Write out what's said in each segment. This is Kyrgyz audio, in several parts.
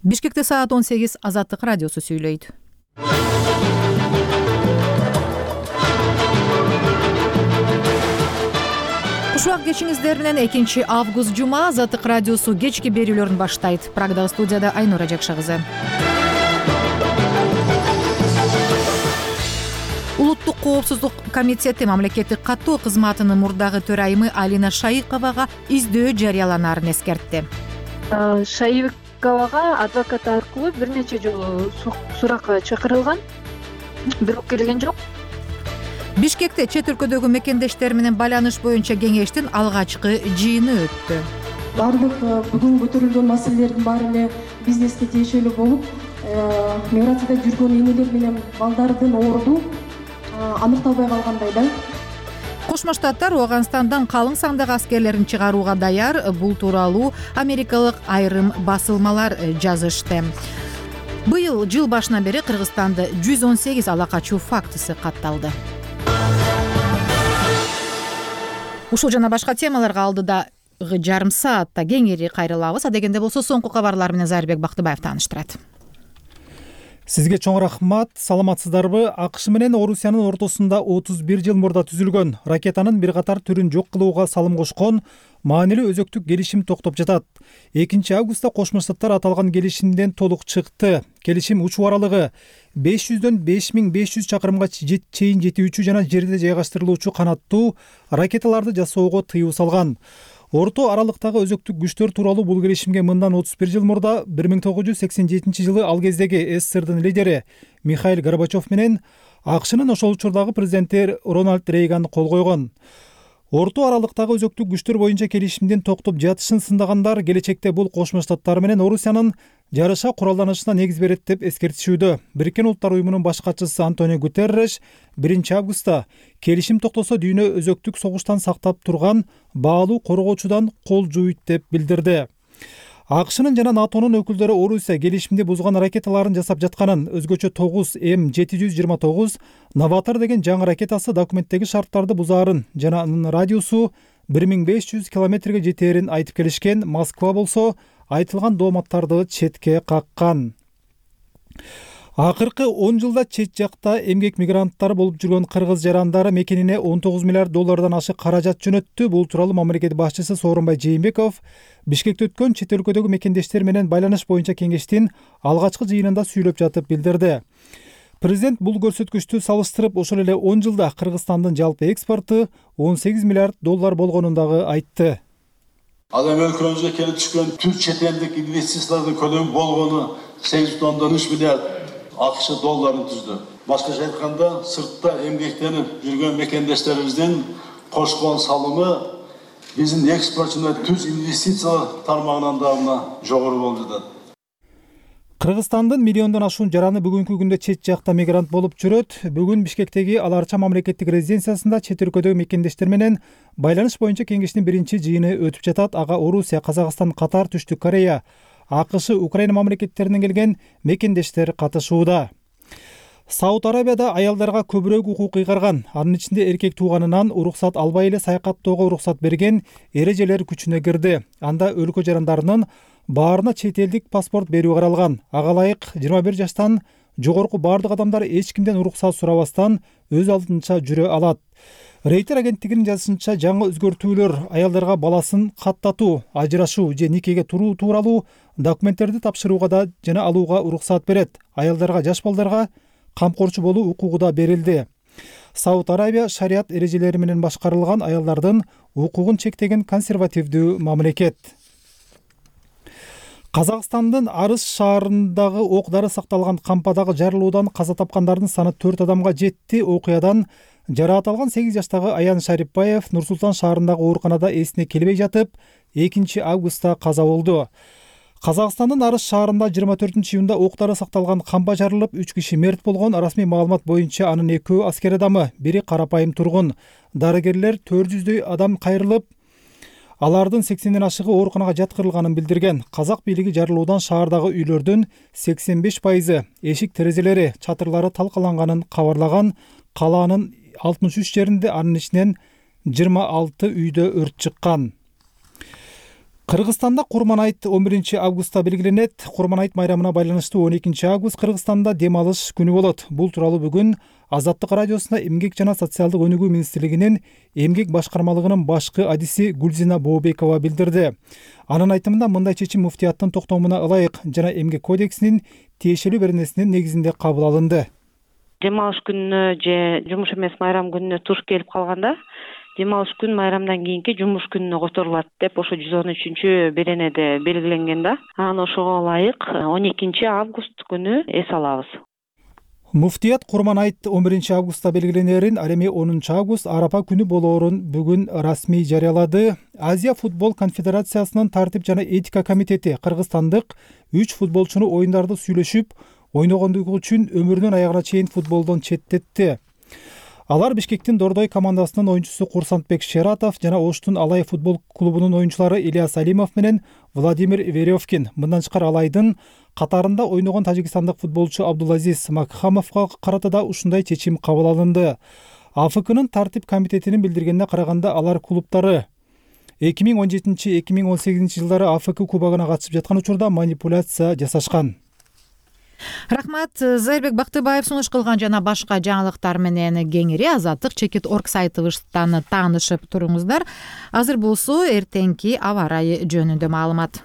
Бишкекте саат 18 Азаттык радиосу сүйлөйт. Кушубак кечиңиздер менен 2 август жума Азаттык радиосу кечки берүүлөрүн баштайт. Прагдагы студияда Айнура Жакшы кызы. Улуттук коопсуздук комитети мамлекеттик каттоо кызматынын мурдагы төрайымы Алина Шайыковага издөө жарыяланаарын эскертти. Шайыковага адвокат аркылуу бир нече жолу суракка чакырылган, бирок келген жок. Бишкекте чет өлкөдөгү мекендештер менен байланыш боюнча кеңештин алгачкы жыйыны өттү. Бардык бүгүн көтөрүлгөн маселелердин баары эле бизнеске тиешелүү болуп, миграцияда жүргөн энелер менен балдардын орду аныкталбай калгандай да. Кошмо Штаттар Ооганстандан калың сандагы аскерлерин чыгарууга даяр. Бул тууралуу америкалык айрым басылмалар жазышты. Быйыл жыл башынан бери Кыргызстанда 118 ала качуу фактысы катталды. Ушул жана башка темаларга алдыдагы жарым саатта кеңири кайрылабыз. Адегенде болсо соңку кабарлар менен Зарбек Бактыбаев тааныштырат. Сизге чоң рахмат. Саламатсыздарбы? АКШ менен Орусиянын ортосунда 31 жыл мурда түзүлгөн ракетанын бир катар түрүн жок кылууга салым кошкон маанилүү өзөктүк келишим токтоп жатат. 2 августта Кошмо Штаттар аталган келишимден толук чыкты. Келишим учуу аралыгы 500дөн 5500 чакырымга чейин жетүүчү жана жерде жайгаштырылуучу канаттуу ракеталарды жасоого тыюу салган. Орто аралыктагы өзөктүк күчтөр тууралуу бул келишимге мындан 31 жыл мурда 1987 жылы ал кездеги СССРдын лидери Михаил Горбачев менен АКШнын ошол учурдагы президенти Рональд Рейган кол койгон. Орто аралыктагы өзөктүк күчтөр боюнча келишимдин токтоп жатышын сындагандар келечекте бул Кошмо Штаттар менен Орусиянын жарыша куралданышына негиз берет деп эскертишүүдө. Бириккен Улуттар уюмунун баш катчысы Антонио Гутерреш 1 августта келишим токтосо дүйнө өзөктүк согуштан сактап турган баалуу коргоочудан кол жууйт деп билдирди. АКШнын жана НАТОнун өкүлдөрү Орусия келишимди бузган ракеталарын жасап жатканын, өзгөчө 9 М729 Новатор деген жаңы ракетасы документтеги шарттарды бузаарын жана анын радиусу 1500 километрге жетээрин айтып келишкен. Москва болсо айтылган дооматтарды четке каккан. Акыркы 10 жылда чет жакта эмгек мигранттары болуп жүргөн кыргыз жарандары мекенине 19 миллиард доллардан ашык каражат жөнөттү. Бул тууралуу мамлекет башчысы Сооронбай Жээнбеков Бишкекте өткөн чет өлкөдөгү мекендештер менен байланыш боюнча кеңештин алгачкы жыйынында сүйлөп жатып билдирди. Президент бул көрсөткүчтү салыштырып, ошол эле 10 жылда Кыргызстандын жалпы экспорту 18 миллиард доллар болгонун дагы айтты. Ал эми өлкөбүзгө келип түшкөн түрк чет элдик инвестициялардын көлөмү болгону 8,3 миллиард АКШ долларын түздү. Башкача айтканда, сыртта эмгектенип жүргөн мекендештерибиздин кошкон салымы биздин экспортчуна түз инвестиция тармагынан дагы жогору болуп жатат. Кыргызстандын миллиондон ашуун жараны бүгүнкү күндө чет жакта мигрант болуп жүрөт. Бүгүн Бишкектеги Аларча мамлекеттик резиденциясында чет өлкөдөгү мекендештер менен байланыш боюнча кеңештин 1-жыйыны өтүп жатат. Ага Орусия, Казакстан, Катар, Түштүк Корея, АКШ, Украина мамлекеттеринен келген мекендештер катышууда. Сауд Арабияда аялдарга көбүрөөк укук ыйгарган, анын ичинде эркек тууганынан уруксат албай эле саякаттоого уруксат берген эрежелер күчүнө кирди. Анда өлкө жарандарынын баарына чет элдик паспорт берүү каралган. Ага ылайык 21 жаштан жогорку бардык адамдар эч кимден уруксат сурабастан өз алдынча жүрө алат. Рейтер агенттигинин жазышынча, жаңы өзгөртүүлөр аялдарга баласын каттатуу, ажырашуу же никеге туруу тууралуу документтерди тапшырууга да жана алууга уруксат берет. Аялдарга, жаш балдарга камкорчу болуу укугу да берилди. Сауд Арабия шарият эрежелери менен башкарылган аялдардын укугун чектеген консервативдүү мамлекет. Казакстандын Арыс шаарындагы ок-дары сакталган кампадагы жарылуудан каза тапкандардын саны 4 адамга жетти. Окуядан жараат алган 8 жаштагы Аян Шарипбаев Нур Султан шаарындагы ооруканада эсине келбей жатып 2 августта каза болду. Казакстандын Арыс шаарында 24-июнда ок-дары сакталган кампа жарылып, 3 киши мерт болгон. Расмий маалымат боюнча анын 2 аскер адамы, бири карапайым тургун. Дарыгерлер 400дөй адам кайрылып, алардын 80ден ашыгы ооруканага жаткырылганын билдирген. Казак бийлиги жарылуудан шаардагы үйлөрдүн 85% эшик терезелери, чатырлары талкаланганын кабарлаган. Калаанын 63 жеринде, анын ичинен 26 үйдө өрт чыккан. Кыргызстанда Курман айт 11 августта белгиленет. Курман айт майрамына байланыштуу 12 август Кыргызстанда дем алыш күнү болот. Бул тууралуу бүгүн Азаттык радиосуна Эмгек жана социалдык өнүгүү министрлигинин эмгек башкармалыгынын башкы адиси Гүлзина Бообекова билдирди. Анын айтымында мындай чечим муфтияттын токтомуна ылайык жана эмгек кодексинин тиешелүү беренесинин негизинде кабыл алынды. Дем алыш күнүнө же жумуш эмес майрам күнүнө туш келип калганда дем алыш күн майрамдан кийинки жумуш күнүнө которулат деп ошо 113 беренеде белгиленген да. Анан ошого ылайык 12 август күнү эс алабыз. Муфтият Курман айт 11 августта белгиленерин, ал эми 10 август Арапа күнү болоорун бүгүн расмий жарыялады. Азия футбол конфедерациясынын тартип жана этика комитети кыргызстандык 3 футболчуну оюндарды сүйлөшүп ойногондугу үчүн өмүрүнүн аягына чейин футболдон четтетти. Алар Бишкектин Дордой командасынын оюнчусу Курсантбек Шератов жана Оштун Алай футбол клубунун оюнчулары Ильяс Алимов менен Владимир Веревкин. Мындан тышкары Алайдын катарында ойногон тажикстандык футболчу Абдулазиз Макхамовго карата да ушундай чечим кабыл алынды. АФКнын тартип комитетинин билдиргенине караганда алар клубтары 2017-2018 жылдары АФК кубогуна катышып жаткан учурда манипуляция жасашкан. Рахмат. Зайырбек Бактыбаев сунуш кылган жана башка жаңылыктар менен кеңири Азаттык.org сайтыбыздан таанышып туруңуздар. Азыр болсо эртеңки аба ырайы жөнүндө маалымат.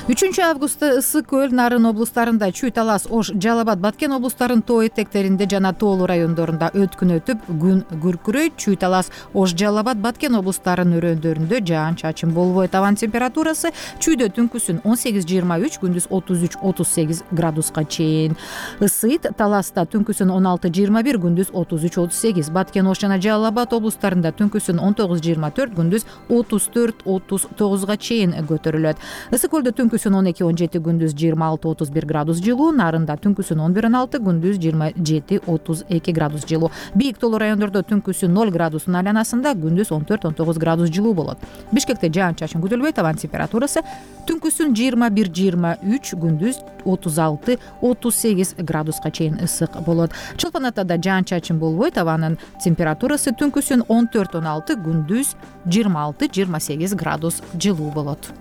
3 августта Ысык Көл, Нарын облустарында, Чүй Талас, Ош, Жалал Абад, Баткен облустарынын тоо этектеринде жана тоолуу райондорунда өткүн өтүп, күн күркүрөйт. Чүй Талас, Ош, Жалал Абад, Баткен облустарынын өрөөндөрүндө жаан-чачын болбойт. Абанын температурасы чүйдө түнкүсүн 18-23, күндүз 33-38 градуска чейин. Ысыйт. Таласта түнкүсүн 16-21, күндүз 33-38. Баткен, Ош жана Жалал Абад облустарында түнкүсүн 19-24, күндүз 34-39 чейин көтөрүлөт. Ысык Көлдө түнкүсүн 12-17, күндүз 26-31 градус жылуу. Нарында түнкүсүн 11-16, күндүз 27-32 градус жылуу. Бийик тоолуу райондордо түнкүсүн 0 градустун айланасында, күндүз 14-19 градус жылуу болот. Бишкекте жаан-чачын күтүлбөйт. Абанын температурасы түнкүсүн 21-23, күндүз 36-38 градуска чейин ысык болот. Чолпон Атада жаан-чачын болбойт. Абанын температурасы түнкүсүн 14-16, күндүз 26-28 градус жылуу болот.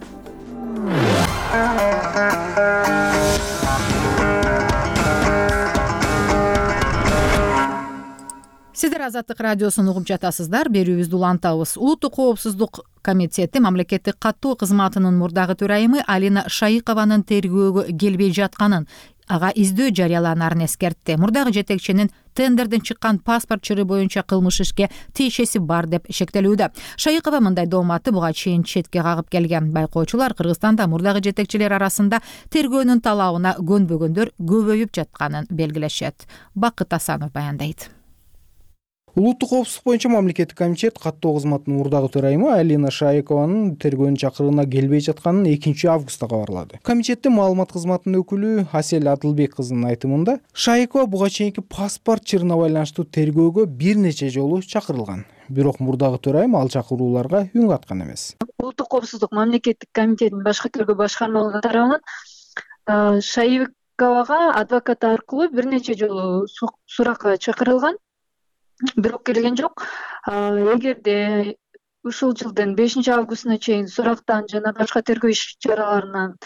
Сиздер Азаттык радиосун угуп жатасыздар. Берүүбүздү улантабыз. Улуттук коопсуздук комитети мамлекеттик каттоо кызматынын мурдагы төрайымы Алина Шайыкованын тергөөгө келбей жатканын, ага издөө жарыяланаарын эскертти. Мурдагы жетекчинин тендерден чыккан паспорт чыры боюнча кылмыш ишке тиешеси бар деп шектелүүдө. Шайыкова мындай дооматты буга чейин четке кагып келген. Байкоочулар Кыргызстанда мурдагы жетекчилер арасында тергөөнүн талабына көнбөгөндөр көбөйүп жатканын белгилешет. Бакыт Асанов баяндайт. Улуттук коопсуздук боюнча мамлекеттик комитет каттоо кызматынын мурдагы төрайымы Алина Шайыкованын тергөөнүн чакырууна келбей жатканын 2 августта кабарлады. Комитеттин маалымат кызматынын өкүлү Асель Адылбек кызынын айтымында, Шайыкова буга чейинки паспорт чырына байланыштуу тергөөгө бир нече жолу чакырылган. Бирок мурдагы төрайым ал чакырууларга үн каткан эмес. Улуттук коопсуздук мамлекеттик комитетинин башкы тергөө башкармалыгы тарабынан Шайыковага адвокат аркылуу бир нече жолу суракка чакырылган. Бирок келген жок. Эгерде ушул жылдын 5 августуна чейин сурактан жана башка тергөө иш чараларынан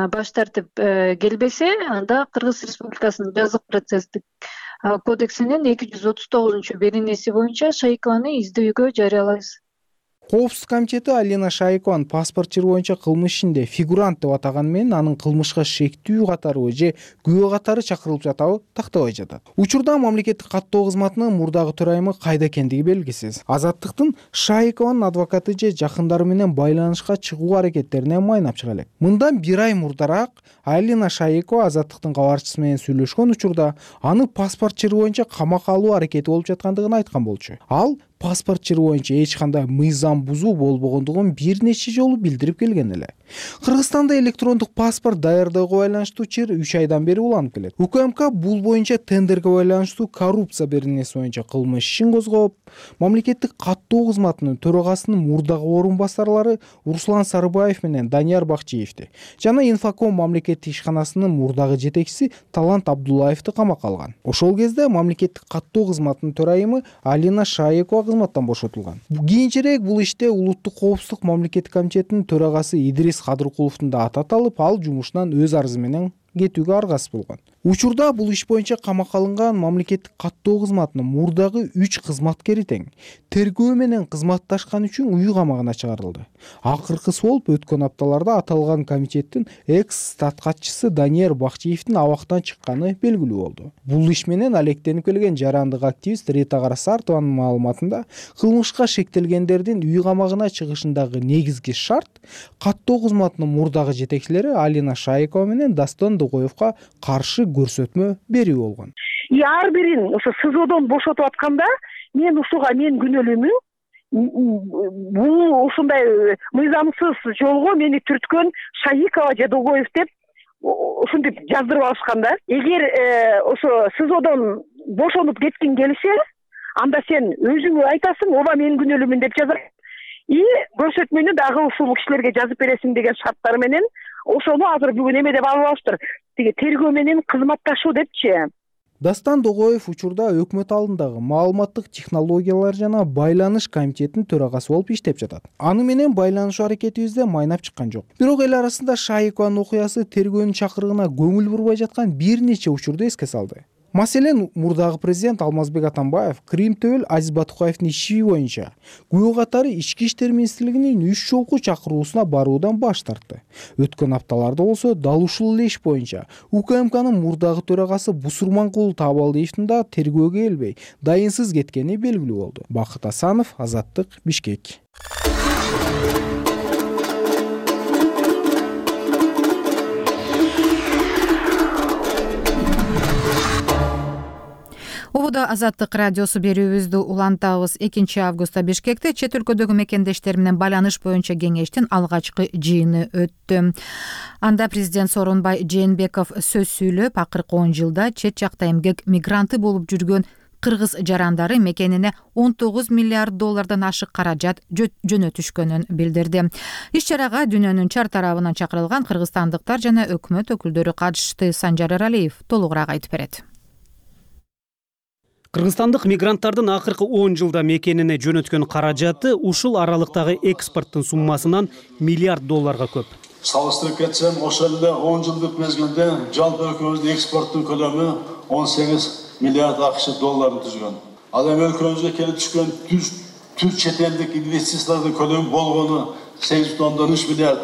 баш тартып келбесе, анда Кыргыз Республикасынын жазык процесстик кодексинин 239 беренеси боюнча Шайыкованы издөөгө жарыялайбыз. Коопсуздук комитети Алина Шайыкованын паспорт чыры боюнча кылмыш ишинде фигурант деп атаганы менен анын кылмышка шектүү катары же күбө катары чакырылып жатабы тактабай жатат. Учурда мамлекеттик каттоо кызматынын мурдагы төрайымы кайда экендиги белгисиз. Азаттыктын Шайыкованын адвокаты же жакындары менен байланышка чыгуу аракеттерине майнап чыга элек. Мындан 1 ай мурдараак Алина Шайыкова Азаттыктын кабарчысы менен сүйлөшкөн учурда аны паспорт чыры боюнча камакка алуу аракети болуп жаткандыгын айткан болчу. Ал паспорт чыры боюнча эч кандай мыйзам бузуу болбогондугун бир нече жолу билдирип келген эле. Кыргызстанда электрондук паспорт даярдөөгө байланыштуу чыр 3 айдан бери уланып келет. УКМК бул боюнча тендерге байланыштуу коррупция беренеси боюнча кылмыш ишин козгоп, Мамлекеттик каттоо кызматынын төрагасынын мурдагы орун басарлары Руслан Сарыбаев менен Данияр Бакчиевди жана Инфоком мамлекеттик ишканасынын мурдагы жетекчиси Талант Абдуллаевди камакка алган. Ошол кезде мамлекеттик каттоо кызматынын төрайымы Алина Шаекова кызматтан бошотулган. Кийинчерээк бул иште улуттук коопсуздук мамлекеттик комитетинин төрагасы Идрис Кадыркуловдун да аты аталып, ал жумушунан өз арызы менен кетүүгө аргасыз болгон. Учурда бул иш боюнча камакка алынган мамлекеттик каттоо кызматынын мурдагы 3 кызматкери тең тергөө менен кызматташкан үчүн үй камагына чыгарылды. Акыркысы болуп өткөн апталарда аталган комитеттин экс-стат катчысы Данияр Бакчиевдин абактан чыкканы белгилүү болду. Бул иш менен алектенип келген жарандык активист Рита Карасартованын маалыматында кылмышка шектелгендердин үй камагына чыгышындагы негизги шарт каттоо кызматынын мурдагы жетекчилери Алина Шаекова менен Дастан Дугоевго каршы көрсөтмө берүү болгон. Ар бирин ошо СИЗОдон бошотуп атканда мен ушуга мен күнөөлүүмүн. Бул ушундай мыйзамсыз жолго мени түрткөн Шаикова же Дугоев деп ушинтип жаздырып алышкан да. Эгер ошо СИЗОдон бошонуп кеткиң келсе, анда сен өзүңө айтасың, ооба мен күнөөлүүмүн деп жазасың. Көрсөтмөнү дагы ушул кишилерге жазып бересиң деген шарттар менен ошону азыр бүгүн эме деп алып алыштыр. Тиги тергөө менен кызматташуу депчи. Дастан Дугоев учурда өкмөт алдындагы маалыматтык технологиялар жана байланыш комитетинин төрагасы болуп иштеп жатат. Аны менен байланышуу аракетибизде майнап чыккан жок. Бирок эл арасында Шаикованын окуясы тергөөнүн чакырыгына көңүл бурбай жаткан бир нече учурду эске салды. Маселен, мурдагы президент Алмазбек Атамбаев Крим Төөл Азиз Батукаевдин иши боюнча күбө катары Ички иштер министрлигинин 3 жолку чакыруусуна баруудан баш тартты. Өткөн апталарда болсо дал ушул эле иш боюнча УКМКнын мурдагы төрагасы Бусурманкул Табалдиевдин да тергөөгө келбей, дайынсыз кеткени белгилүү болду. Бакыт Асанов, Азаттык, Бишкек. Ободо Азаттык радиосу берүүбүздү улантабыз. 2 августта Бишкекте чет өлкөдөгү мекендештер менен байланыш боюнча кеңештин алгачкы жыйыны өттү. Анда президент Сооронбай Жээнбеков сөз сүйлөп, акыркы 10 жылда чет жакта эмгек мигранты болуп жүргөн кыргыз жарандары мекенине $19 миллиард ашык каражат жөнөтүшкөнүн билдирди. Иш-чарага дүйнөнүн чар тарабынан чакырылган кыргызстандыктар жана өкмөт өкүлдөрү катышты. Санжар Эралиев толугураак айтып берет. Кыргызстандык мигранттардын акыркы 10 жылда мекенине жөнөткөн каражаты ушул аралыктагы экспорттун суммасынан $1 миллиард көп. Салыштырып кетсем, ошол эле 10 жылдык мезгилде жалпы өлкөбүздүн экспорттун көлөмү $18 миллиард түзгөн. Ал эми өлкөбүзгө келип түшкөн түз чет элдик инвестициялардын көлөмү болгону $8.3 миллиард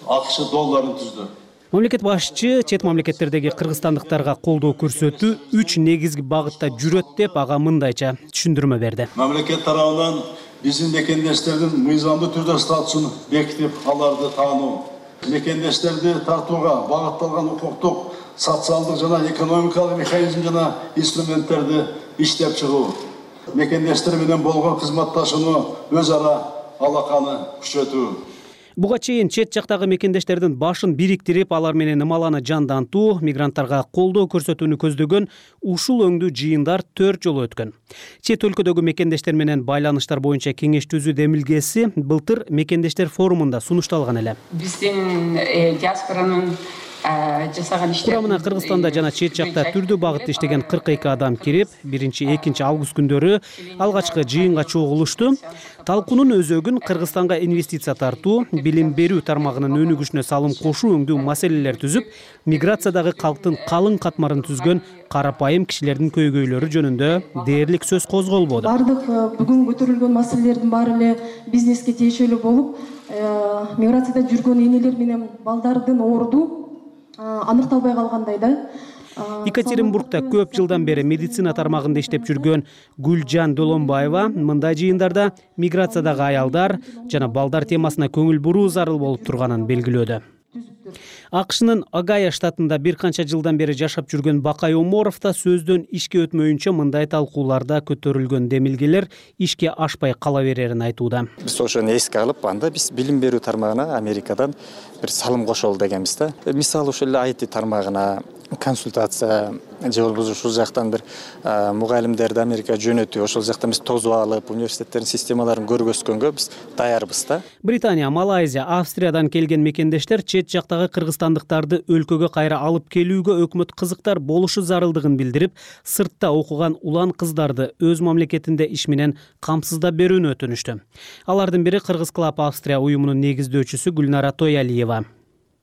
түздү. Мамлекет башчы чет мамлекеттердеги кыргызстандыктарга колдоо көрсөтүү 3 негизги багытта жүрөт деп ага мындайча түшүндүрмө берди. Мамлекет тарабынан биздин мекендештердин мыйзамдуу түрдө статусун бекитип, аларды таануу, мекендештерди тартууга багытталган укуктук, социалдык жана экономикалык механизм жана инструменттерди иштеп чыгуу, мекендештер менен болгон кызматташууну өз ара алаканы күчөтүү. Буга чейин чет жактагы мекендештердин башын бириктирип, алар менен ымаланы жандантуу, мигранттарга колдоо көрсөтүүнү көздөгөн ушул өңдүү жыйындар 4 жолу өткөн. Чет өлкөдөгү мекендештер менен байланыштар боюнча кеңеш түзүү демилгеси былтыр мекендештер форумунда сунушталган эле. Биздин диаспоранын Курамына Кыргызстанда жана чет жакта түрдүү багытта иштеген 42 адам кирип, 1-2 август күндөрү алгачкы жыйынга чогулушту. Талкуунун өзөгүн Кыргызстанга инвестиция тартуу, билим берүү тармагынын өнүгүшүнө салым кошуу өңдүү маселелер түзүп, миграциядагы калктын калың катмарын түзгөн карапайым кишилердин көйгөйлөрү жөнүндө дээрлик сөз козголбоду. Бардык бүгүн көтөрүлгөн маселелердин баары эле бизнеске тиешелүү болуп, миграцияда жүргөн энелер менен балдардын орду аныкталбай калгандай да. Екатеринбургда көп жылдан бери медицина тармагында иштеп жүргөн Гүлжан Долонбаева мындай жыйындарда миграциядагы аялдар жана балдар темасына көңүл буруу зарыл болуп турганын белгилөөдө. АКШнын Огайо штатында бир канча жылдан бери жашап жүргөн Бакай Оморов да сөздөн ишке өтмөйүнчө мындай талкууларда көтөрүлгөн демилгелер ишке ашпай кала берерин айтууда. Биз ошону эске алып, анда биз билим берүү тармагына Америкадан бир салым кошолу дегенбиз да. Мисалы ошол IT тармагына, консультация же болбосо ушул жактан бир мугалимдерди Америкага жөнөтүп, ошол жактан биз тосуп алып, университеттердин системаларын көргөзгөнгө биз даярбыз да. Британия, Малайзия, Австриядан келген мекендештер чет жактагы кыргызстандыктарды өлкөгө кайра алып келүүгө өкмөт кызыктар болушу зарылдыгын билдирип, сыртта окуган улан кыздарды өз мамлекетинде иш менен камсыздап берүүнү өтүнүштү. Алардын бири Кыргыз Клаб Австрия уюмунун негиздөөчүсү Гүлнара Тоялиева.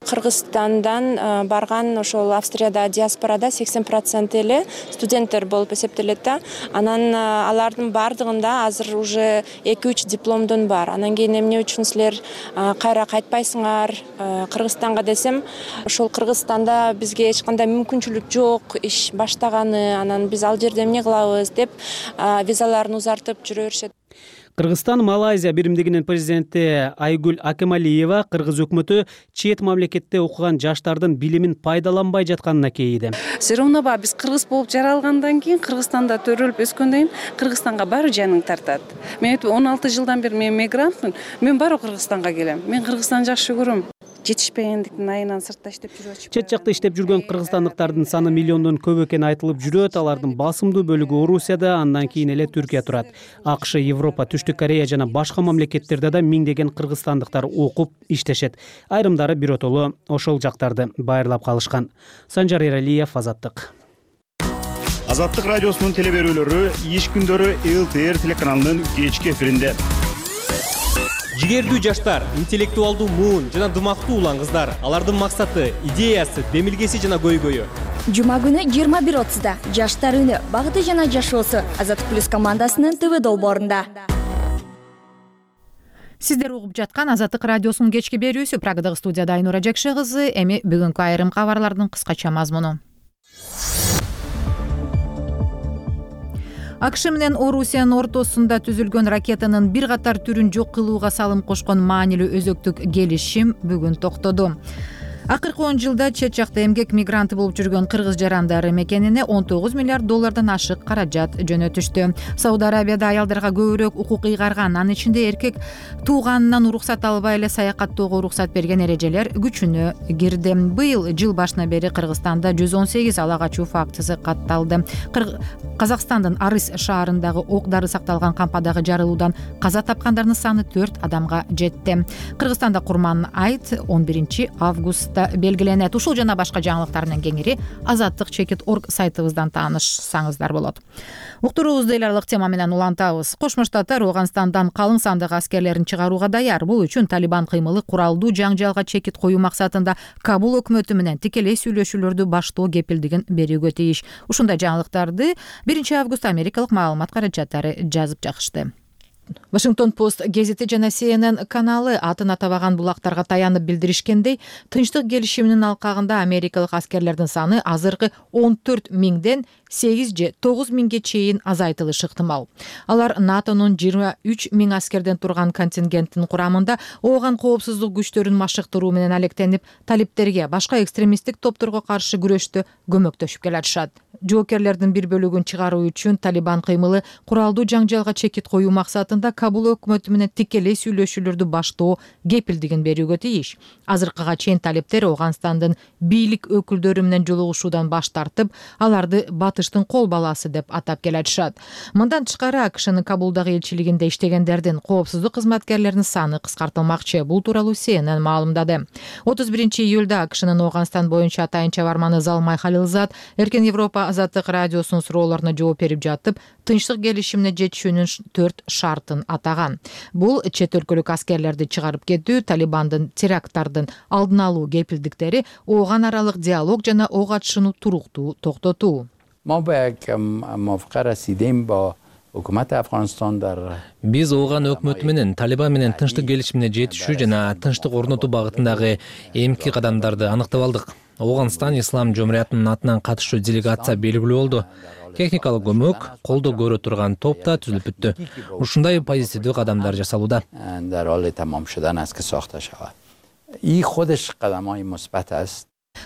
Кыргызстандан барган ошол Австрияда диаспорада 80% эле студенттер болуп эсептелет да. Анан алардын бардыгында азыр уже 2-3 дипломдон бар. Анан кийин эмне үчүн силер кайра кайтпайсыңар Кыргызстанга десем, ошол Кыргызстанда бизге эч кандай мүмкүнчүлүк жок, иш баштаганы, анан биз ал жерде эмне кылабыз деп визаларын узартып жүрө беришет. Кыргызстан Малайзия биримдигинин президенти Айгүл Акемалиева кыргыз өкмөтү чет мамлекетте окуган жаштардын билимин пайдаланбай жатканына кейиди. Все равно биз кыргыз болуп жаралгандан кийин, Кыргызстанда төрөлүп өскөндөн кийин Кыргызстанга баары жаның тартат. Мен 16 жылдан бери мен мигрантмын, мен баары Кыргызстанга келем. Мен Кыргызстанды жакшы көрөм. Жетишпегендиктин айынан сыртта иштеп жүрүп атышпайбы? Чет жакта иштеп жүргөн кыргызстандыктардын саны миллиондон көп экени айтылып жүрөт. Алардын басымдуу бөлүгү Орусияда, андан кийин эле Түркия турат. АКШ, Европа, Түштүк Корея жана башка мамлекеттерде да миңдеген кыргызстандыктар окуп иштешет. Айрымдары биротоло ошол жактарды байырлап калышкан. Санжар Эралиев, Азаттык. Азаттык радиосунун телеберүүлөрү иш күндөрү ЛТР телеканалынын кечки эфиринде. Жигердүү жаштар, интеллектуалдуу муун жана дымактуу улан кыздар. Алардын максаты, идеясы, демилгеси жана көйгөйү. Жума күнү 21:30да Жаштар үнү, багыты жана жашоосу Азаттык плюс командасынын ТВ долбоорунда. Сиздер угуп жаткан Азаттык радиосунун кечки берүүсү. Прагадагы студияда Айнура Жакшы кызы. Эми бүгүнкү айрым кабарлардын кыскача мазмуну. АКШ менен Орусиянын ортосунда түзүлгөн ракетанын бир катар түрүн жок кылууга салым кошкон маанилүү өзөктүк келишим бүгүн токтоду. Акыркы 10 жылда чет жакта эмгек мигранты болуп жүргөн кыргыз жарандары мекенине $19 миллиард ашык каражат жөнөтүштү. Сауд Арабияда аялдарга көбүрөөк укук ыйгарган, анын ичинде эркек тууганынан уруксат албай эле саякаттоого уруксат берген эрежелер күчүнө кирди. Быйыл жыл башынан бери Кыргызстанда 118 ала качуу фактысы катталды. Казакстандын Арыс шаарындагы ок дары сакталган кампадагы жарылуудан каза тапкандардын саны 4 адамга жетти. Кыргызстанда Курман айт 11 августта белгиленет. Ушул жана башка жаңылыктар менен кеңири azattik.org сайтыбыздан таанышсаңыздар болот. Уктуруубузду эл аралык тема менен улантабыз. Кошмо Штаттар Ооганстандан калың сандагы аскерлерин чыгарууга даяр. Бул үчүн Талибан кыймылы куралдуу жаңжалга чекит коюу максатында Кабул өкмөтү менен тикелей сүйлөшүүлөрдү баштоо кепилдигин берүүгө тийиш. Ушундай жаңылыктарды 1 август Америкалык маалымат каражаттары жазып чыгышты. Вашингтон Пост гезити жана CNN каналы атын атабаган булактарга таянып билдиришкендей, тынчтык келишиминин алкагында америкалык аскерлердин саны азыркы 14 миңден 8 же 9 миңге чейин азайтылышы ыктымал. Алар НАТОнун 23 миң аскерден турган контингенттин курамында ооган коопсуздук күчтөрүн машыктыруу менен алектенип, талиптерге, башка экстремисттик топторго каршы күрөштө көмөктөшүп келатышат. Жоокерлердин бир бөлүгүн чыгаруу үчүн Талибан кыймылы куралдуу жаңжалга чекит коюу максатында Кабул өкмөтү менен тикелей сүйлөшүүлөрдү баштоо кепилдигин берүүгө тийиш. Азыркыга чейин талиптер Ооганстандын бийлик өкүлдөрү менен жолугушуудан баш тартып, аларды батыштын кол баласы деп атап келатышат. Мындан тышкары АКШнын Кабулдагы элчилигинде иштегендердин, коопсуздук кызматкерлеринин саны кыскартылмакчы. Бул тууралуу CNN маалымдады. 31 июлда АКШнын Ооганстан боюнча атайынча барманы Залмай Халилзад Эркен Европа Азаттык радиосунун суроолоруна жооп берип жатып, тынчтык келишимине жетишүүнүн 4 шартын атаган. Бул чет өлкөлүк аскерлерди чыгарып кетүү, Талибандын теракттардын алдын алуу кепилдиктери, ооган аралык диалог жана ок атышууну туруктуу токтотуу. Биз ооган өкмөтү менен Талибан менен тынчтык келишимине жетишүү жана тынчтык орнотуу багытындагы эмки кадамдарды аныктап алдык. Ооганстан Ислам жумуриятынын атынан катышуу делегация белгилүү болду. Техникалык көмөк, колдоо көрө турган топ да түзүлүп бүттү. Ушундай позитивдүү кадамдар жасалууда.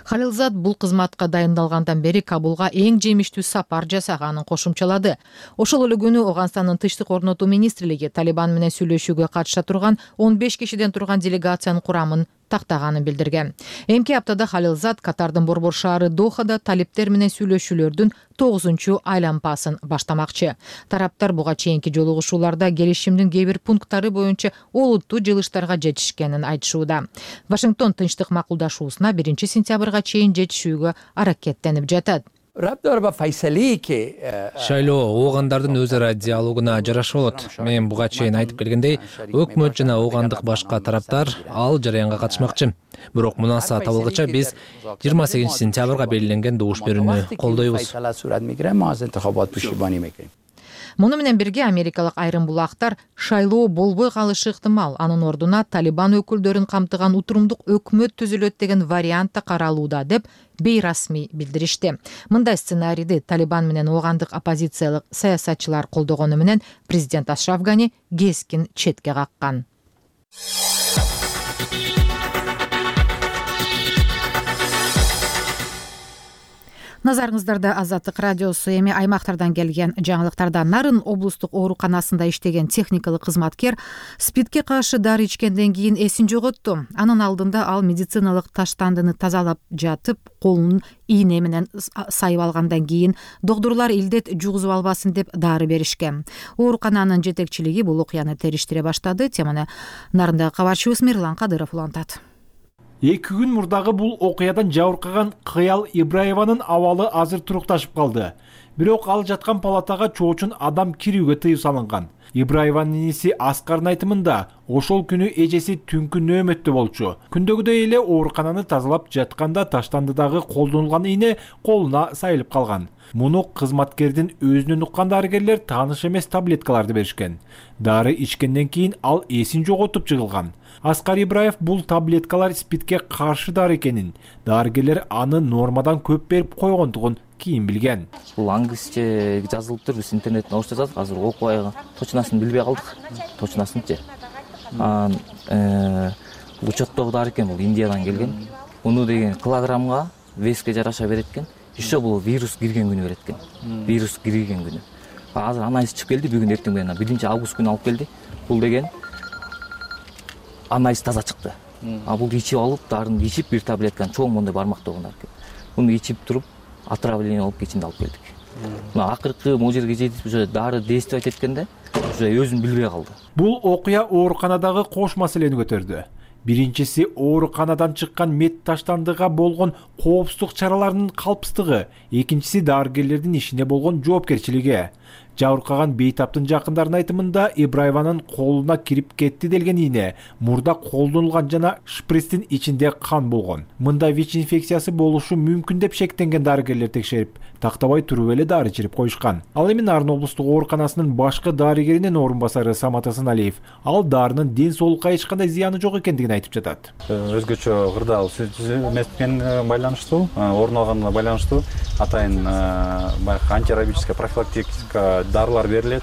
Халилзад бул кызматка дайындалгандан бери Кабулга эң жемиштүү сапар жасаганын кошумчалады. Ошол эле күнү Ооганстандын тынчтык орнотуу министрлиги Талибан менен сүйлөшүүгө катыша турган 15 кишиден турган делегациянын курамын тактаганын билдирген. Эмки аптада Халилзад Катардын борбор шаары Дохада талиптер менен сүйлөшүүлөрдүн 9 айланпасын баштамакчы. Тараптар буга чейинки жолугушууларда келишимдин кээ бир пункттары боюнча олуттуу жылыштарга жетишкенин айтышууда. Вашингтон тынчтык макулдашуусуна 1 сентябрга чейин жетишүүгө аракеттенип жатат. Шайлоо оогандардын өз ара диалогуна жараша болот. Мен буга чейин айтып келгендей, өкмөт жана оогандык башка тараптар ал жараянга катышмакчы. Бирок мунаса табылгыча биз 28 сентябрга белгиленген добуш берүүнү колдойбуз. Муну менен бирге америкалык айрым булактар шайлоо болбой калышы ыктымал. Анын ордуна Талибан өкүлдөрүн камтыган утурумдук өкмөт түзүлөт деген вариант да каралууда деп бейрасмий билдиришти. Мындай сценарийди Талибан менен оогандык оппозициялык саясатчылар колдогону менен президент Ашраф Гани кескин четке каккан. Назарыңыздарда Азаттык радиосу. Эми аймактардан келген жаңылыктарда Нарын облустук ооруканасында иштеген техникалык кызматкер СПИДке каршы дары ичкенден кийин эсин жоготту. Анын алдында ал медициналык таштандыны тазалап жатып, колун ийне менен сайып алгандан кийин доктурлар илдет жугузуп албасын деп дары беришкен. Оорукананын жетекчилиги бул окуяны териштире баштады. Теманы Нарындагы кабарчыбыз Мирлан Кадыров улантат. 2 күн мурдагы бул окуядан жабыркаган Кыял Ибраеванын абалы азыр турукташып калды. Бирок ал жаткан палатага чоочун адам кирүүгө тыюу салынган. Ибраеванын иниси Аскардын айтымында ошол күнү эжеси түнкү нөөмөттө болчу. Күндөгүдөй эле оорукананы тазалап жатканда таштандыдагы колдонулган ийне колуна сайылып калган. Муну кызматкердин өзүнөн уккан дарыгерлер тааныш эмес таблеткаларды беришкен. Дары ичкенден кийин ал эсин жоготуп жыгылган. Аскар Ибраев бул таблеткалар СПИДке каршы дары экенин, дарыгерлер аны нормадан көп берип койгондугун кийин билген. Бул англисче жазылыптыр, биз интернеттен орусча жаздык, азыр окубай точносын билбей калдык. Точносынчы. Учеттогу дары экен, бул Индиядан келген. Муну деген килограммга, веске жараша берет экен. Еще бул вирус кирген күнү берет экен. Вирус кирген күнү. Азыр анализ чыгып келди, бүгүн эртең менен 1 август күнү алып келди. Бул деген анализ таза чыкты. Бул ичип алып, дарын ичип, бир таблетканы чоң мондай бармактаган экен. Муну ичип туруп, отравление болуп кечинде алып келдик. Мына акыркы могу жерге жетип, уже дары действовать эткенде, уже өзүн билбей калды. Бул окуя ооруканадагы кош маселени көтөрдү. Биринчиси ооруканадан чыккан мед таштандыга болгон коопсуздук чараларынын калпсыздыгы, экинчиси дарыгерлердин ишине болгон жоопкерчилиги. Жабыркаган бейтаптын жакындарынын айтымында Ибраеванын колуна кирип кетти делген ийне мурда колдонулган жана шприцтин ичинде кан болгон. Мындай ВИЧ инфекциясы болушу мүмкүн деп шектенген дарыгерлер текшерип, тактабай туруп эле дары чирип коюшкан. Ал эми Нарын облустук ооруканасынын башкы дарыгеринин орун басары Самат Асаналиев ал дарынын ден соолукка эч кандай зыяны жок экендигин айтып жатат. Өзгөчө кырдаал эмес менен байланыштуу, орун алганына байланыштуу атайын баягы антирабическая профилактика дарылар берилет.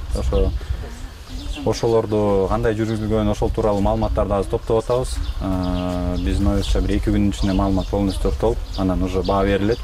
Ошолорду кандай жүргүзүлгөн, ошол тууралуу маалыматтарды азыр топтоп атабыз. Биздин оюбузча бир 2 күнүн ичинде маалымат полностью топтолуп, анан уже баа берилет.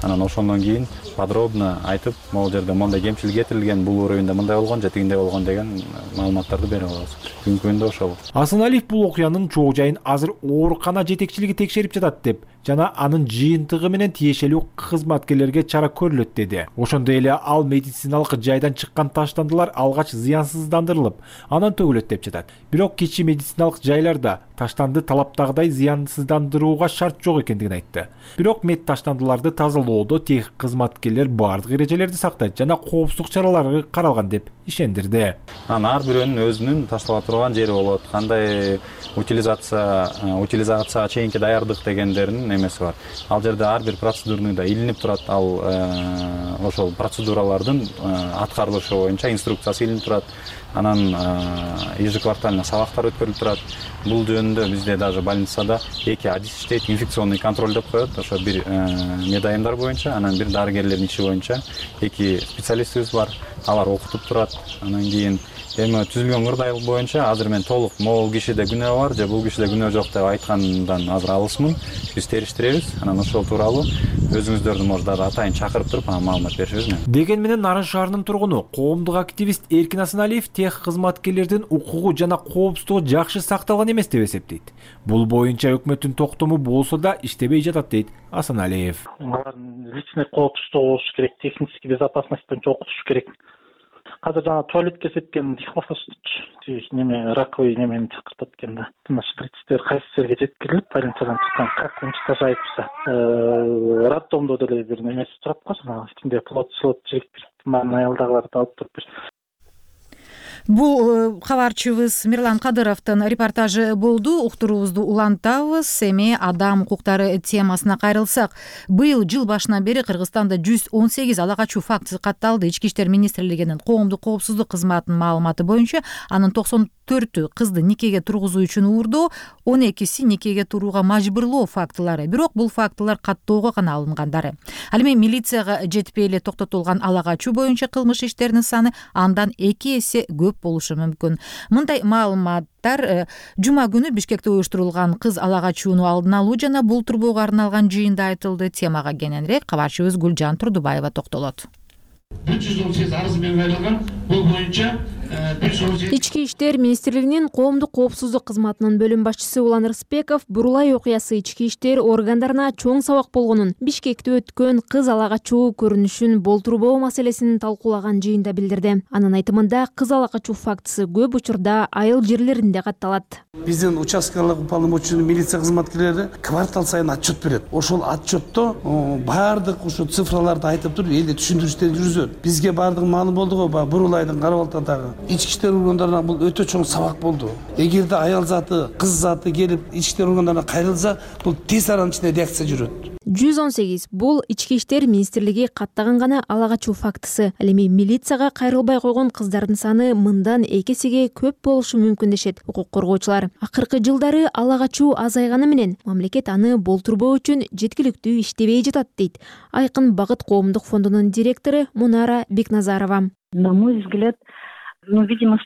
Анан ошондон кийин подробно айтып, могу жерде мондай кемчилик кетирилген, бул уровеньде мындай болгон, же тигиндей болгон деген маалыматтарды берип алабыз. Бүгүнкү күндө ошол. Асаналиев бул окуянын чоо жайын азыр оорукана жетекчилиги текшерип жатат деп жана анын жыйынтыгы менен тиешелүү кызматкерлерге чара көрүлөт деди. Ошондой эле ал медициналык жайдан чыккан таштандылар алгач зыянсыздандырылып, анан төгүлөт деп жатат. Бирок кичи медициналык жайларда таштанды талаптагыдай зыянсыздандырууга шарт жок экендигин айтты. Бирок мед таштандыларды тазалоодо тех кызматкерлер бардык эрежелерди сактайт жана коопсуздук чаралары каралган деп ишендирди. Ар бирөөнүн өзүнүн таштала турган жери болот. Кандай утилизацияга чейинки даярдык дегендердин эмеси бар. Ал жерде ар бир процедурныйда илинип турат. Ал ошол процедуралардын аткарылышы боюнча инструкциясы илинип турат. Анан ежеквартально сабактар өткөрүлүп турат. Бул жөнүндө бизде даже больницада 2 адис иштейт, инфекционный контроль деп коет. Ошо бир медайымдар боюнча, анан бир дарыгерлердин иши боюнча 2 специалистибиз бар. Алар окутуп турат. Анан кийин эми түзүлгөн кырдаал боюнча азыр мен толук могул кишиде күнөө бар же бул кишиде күнөө жок деп айткандан азыр алысмын. Биз териштиребиз. Анан ошол тууралуу өзүңүздөрдү может атайын чакырып туруп маалымат беришибиз. Деген менен Нарын шаарынын тургуну, коомдук активист Эркин Асаналиев ИЭХ кызматкерлердин укугу жана коопсуздугу жакшы сакталган эмес деп эсептейт. Бул боюнча өкмөттүн токтому болсо да иштебей жатат дейт Асаналиев. Алардын личный коопсуздугу болушу керек, технический безопасность боюнча окутуш керек. Азыр жана туалетке сепкен неме раковый немени чакыртат экен да. Мына шприцтер кайсы жерге жеткирилип, больницадан чыккан, как уничтожается. Роддомдо деле бир немеси турат го, жанагы ичинде плод жигит мына аялдагыларды алып туруп. Бул кабарчыбыз Мирлан Кадыровдун репортажы болду. Уктуруубузду улантабыз. Эми адам укуктары темасына кайрылсак, быйыл жыл башынан бери Кыргызстанда 118 ала качуу фактысы катталды. Ички иштер министрлигинин коомдук коопсуздук кызматынын маалыматы боюнча, анын 94-ü кызды никеге тургузуу үчүн уурдоо, 12си никеге турууга мажбурлоо фактылары. Бирок бул фактылар каттоого гана алынгандары. Ал эми милицияга жетпей эле токтотулган ала качуу боюнча кылмыш иштеринин саны андан 2 эсе көп болушу мүмкүн. Мындай маалыматтар жума күнү Бишкекте уюштурулган кыз ала качууну алдын алуу жана бул турбоого арналган жыйында айтылды. Темага кененирээк кабарчыбыз Гүлжан Турдубаева токтолот. 318 арыз менен кайрылган. Бул боюнча Ички иштер министрлигинин коомдук коопсуздук кызматынын бөлүм башчысы Улан Рыспеков бурулай окуясы ички иштер органдарына чоң сабак болгонун, Бишкекте өткөн кыз ала качуу көрүнүшүн болтурбоо маселесин талкуулаган жыйында билдирди. Анын айтымында кыз ала качуу фактысы көп учурда айыл жерлеринде катталат. Биздин участкалык уполномоченный милиция кызматкерлери квартал сайын отчет берет. Ошол отчетто баардык ушу цифраларды айтып туруп эле түшүндүрүштөр жүргүзөт. Бизге баардыгы маалым болду го, бурулайдын Карабалтадагы ички иштер органдарына бул өтө чоң сабак болду. Эгерде аял заты, кыз заты келип ички иштер органдарына кайрылса, бул тез аранын ичинде реакция жүрөт. 118 бул ички иштер министрлиги каттаган гана ала качуу фактысы. Ал эми милицияга кайрылбай койгон кыздардын саны мындан 2 эсеге көп болушу мүмкүн дешет укук коргоочулар. Акыркы жылдары ала качуу азайганы менен мамлекет аны болтурбоо үчүн жеткиликтүү иштебей жатат дейт Айкын Багыт коомдук фондунун директору Мунара Бекназарова. На мой взгляд, видимо,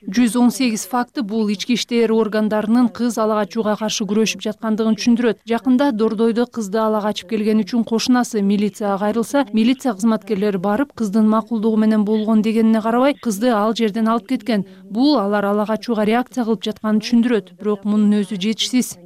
118 факты бул ички иштер органдарынын кыз ала качууга каршы күрөшүп жаткандыгын түшүндүрөт. Жакында Дордойдо кызды ала качып келген үчүн кошунасы милицияга кайрылса, милиция кызматкерлери барып кыздын макулдугу менен болгон дегенине карабай, кызды ал жерден алып кеткен. Бул алар ала качууга реакция кылып жатканын түшүндүрөт, бирок мунун өзү жетишсиз.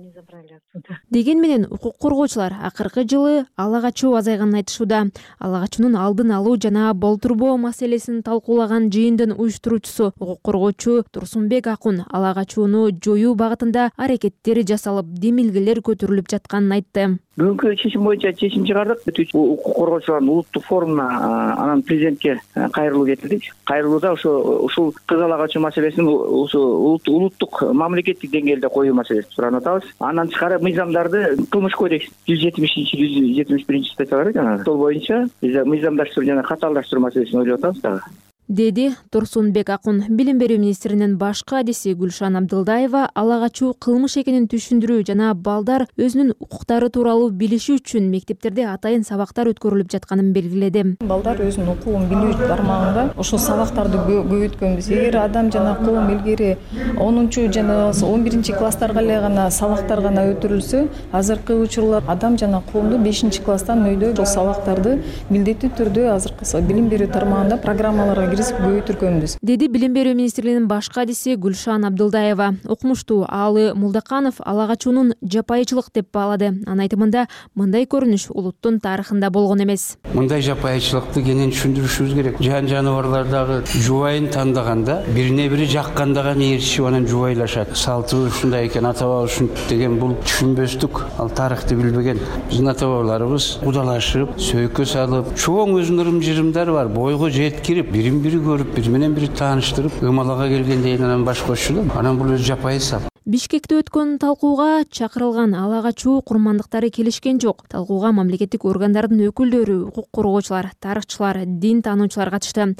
Деген менен укук коргоочулар акыркы жылы ала качуу азайганын айтышууда. Ала качуунун алдын алуу жана болтурбоо маселесин талкуулаган жыйындын уюштуруучусу укук коргоочу Турсунбек Акун ала качууну жоюу багытында аракеттер жасалып, демилгелер көтөрүлүп жатканын айтты. Бүгүнкү чечим боюнча чечим чыгардык. Укук коргоочулардын улуттук форумуна анан президентке кайрылуу кетирдик. Кайрылууда ушул кыз ала качуу маселесин улуттук мамлекеттик деңгээлде коюу маселесин суранып атабыз. Андан тышкары мыйзамдарды кылмыш кодекс 170-171 статьялары жанагы. Сол боюнча биз мыйзамдаштыруу жана катаалдаштыруу маселесин ойлоп атабыз дагы. Деди Турсунбек Акун. Билим берүү министринин баш кадиси Гүлшан Абдылдаева ала качуу кылмыш экенин түшүндүрүү жана балдар өзүнүн укуктары тууралуу билиши үчүн мектептерде атайын сабактар өткөрүлүп жатканын белгиледи. Балдар өзүнүн укугун билүү тармагында ошол сабактарды көбөйткөнбүз. Эгер адам жана коом илгери 10 жана 11 класстарга эле гана сабактар гана өтүрүлсө, азыркы учурлар адам жана коомду 5 класстан өйдө ошол сабактарды милдеттүү түрдө азыркы билим берүү тармагында программаларга көбөйтүргөнбүз, деди Билим берүү министринин баш кадиси Гүлшан Абдылдаева. Окумуштуу Аалы Мулдаканов ала качуунун жапайычылык деп баалады. Анын айтымында мындай көрүнүш улуттун тарыхында болгон эмес. Мындай жапайычылыкты кенен түшүндүрүшүбүз керек. Жан жаныбарлардагы жубайын тандаганда бирине бири жакканда гана ээрчишип анан жубайлашат. Салтыбыз ушундай экен, ата баба ушинтип деген бул түшүнбөстүк. Ал тарыхты билбеген. Биздин ата бабаларыбыз кудалашып, сөйкө салып, чоң өзүнүн ырым-жырымдары бар. Бойго жеткирип, бири көрүп, бири менен бири тааныштырып, ымалага келгенден анан баш кошчулуп, анан бул өзү жапайы сап. Бишкекте өткөн талкууга чакырылган ала качуу курмандыктары келишкен жок. Талкууга мамлекеттик органдардын өкүлдөрү, укук коргоочулар, тарыхчылар, дин таануучулар катышты.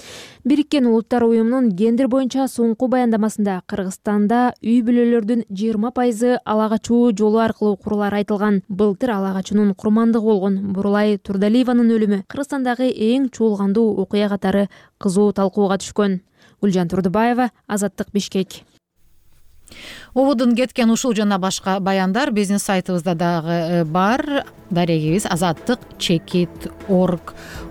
Бириккен Улуттар уюмунун гендер боюнча соңку баяндамасында Кыргызстанда үй бүлөлөрдүн 20% ала качуу жолу аркылуу курулары айтылган. Былтыр ала качуунун курмандыгы болгон Бурулай Турдалиеванын өлүмү Кыргызстандагы эң чуулгандуу окуя катары кызуу талкууга түшкөн. Гүлжан Турдубаева, Азаттык, Бишкек. ободун кеткен ушул жана башка баяндар биздин сайтыбызда дагы бар. Дарегибиз azattik.org.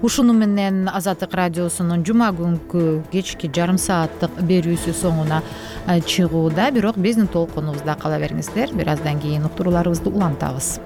Ушуну менен Азаттык радиосунун жума күнкү кечки жарым сааттык берүүсү соңуна чыгууда. Бирок биздин толкунубузда кала бериңиздер. Бир аздан кийин уктурууларыбызды улантабыз.